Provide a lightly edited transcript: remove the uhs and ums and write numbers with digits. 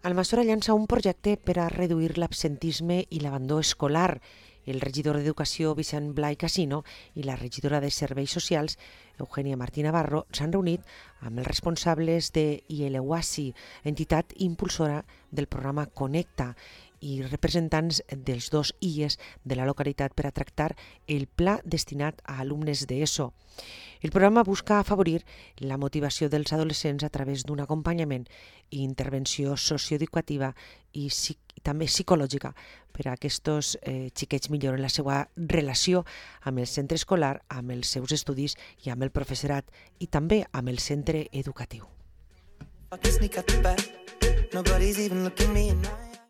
Almassora llança un projecte per a reduir l'absentisme i l'abandó escolar. El regidor d'Educació, Vicent Blai Casino, i la regidora de Serveis Socials, Eugènia Martí Navarro, s'han reunit amb els responsables de IELEWASI, entitat impulsora del programa Connecta, i representants dels dos IES de la localitat per a tractar el pla destinat a alumnes d'ESO. El programa busca afavorir la motivació dels adolescents a través d'un acompanyament i intervenció socioeducativa i també psicològica per a aquests xiquets milloren la seva relació amb el centre escolar, amb els seus estudis i amb el professorat i també amb el centre educatiu.